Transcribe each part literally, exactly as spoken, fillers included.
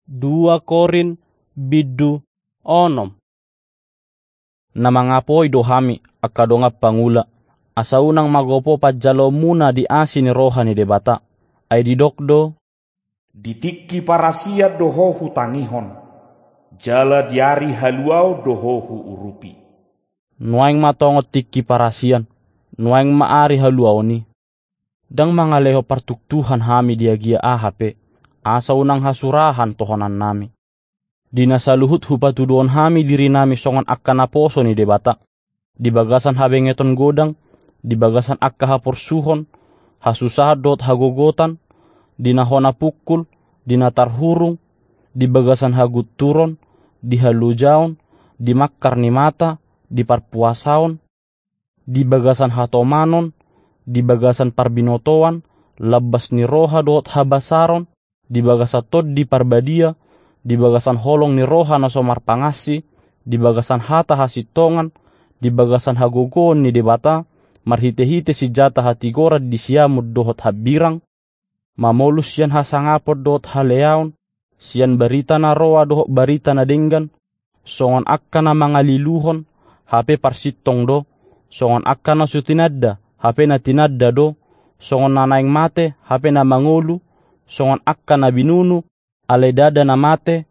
Dua Korint bindu onom. Na mangapoi do hami, angka dongan pangula, asa unang magopo panjaloonmuna di asi ni roha ni Debata. Ai didok do: Di tingki parasian do ho hutangihon, jala di ari haluaon do ho huurupi. Nuaeng ma tongon tingki parasian, nuaeng ma ari haluaon i. Ndang mangalehon partuktuhan hami di agia aha pe, asa unang hasurahan tohonannami. Di na saluhut hupatuduhon hami dirinami songon angka naposo ni Debata, di bagasan habengeton godang, di bagasan angka haporsuhon, hasusahan dohot hagogotan, di na hona pungkul, di na tarhurung, di bagasan hagunturon, di halojaon, di mangkar ni mata, di parpuasaon, di bagasan hatomanon, di bagasan parbinotoan, lambas ni roha dohot habasaron, di bagasan Tondi Parbadia, di bagasan holong ni roha na so marpangansi, di bagasan hata hasintongan, di bagasan hagogoon ni Debata, marhitehite sinjata hatigoran di siamun dohot hambirang, mamolus sian hasangapon dohot haleaon, sian barita na roa dohot barita na denggan, songon angka na mangaliluhon, hape parsintong do, songon angka na so tinanda, hape na tinanda do, songon na naeng mate, hape na mangolu, songon angka na binunu, alai ndada na mate,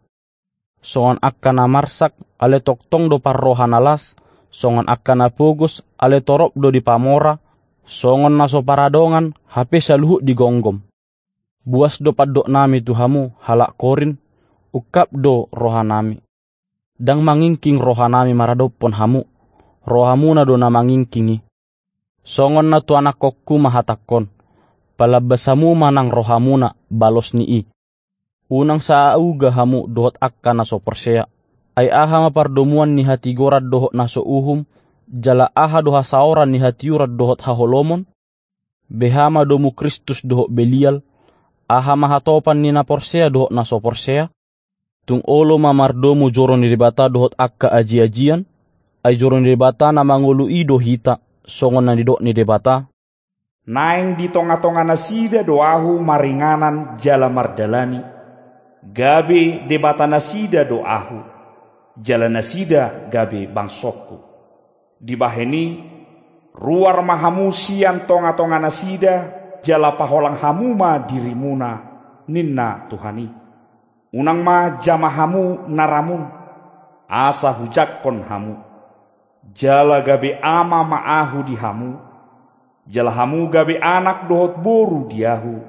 songon angka na marsak, alai tongtong do parroha na las, songon angka na pogos, alai torop do dipamora, songon na so paradongan, hape saluhut digomgom. Buas do pandoknami tu hamu, halak Korint, ungkap do rohanami. Ndang mangingking rohanami maradophon hamu, rohamuna do na mangingking i. Songon na tu anakkonku ma hatangkon: Palambas hamu ma nang rohamuna, balos ni i. Unang saauga hamu dohot angka na so porsea. Ai aha ma pardomuan ni hatigoran dohot na so uhum, jala aha do hasaoran ni hatiuron dohot haholomon? Beha ma domu Kristus dohot Belial? Aha ma hatopan ni na porsea dohot na so porsea? Tung olo ma mardomu joro ni Debata dohot angka ajiajian? Ai joro ni Debata na mangolu i do hita, songon na nidok ni Debata: Naeng di tongatonganasida do Ahu maringanan jala mardalani, gabe Debatanasida do Ahu, jala nasida gabe bangsongku. Dibahen i, ruar ma hamu sian tongatonganasida, jala paholang hamu ma dirimuna, ninna Tuhan i. Unang ma jama hamu na ramun, asa hujangkon hamu. Jala gabe ama ma Ahu di hamu, jala hamu gabe anak dohot boru di Ahu,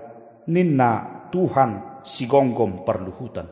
ninna Tuhan Sigomgom Parluhutan.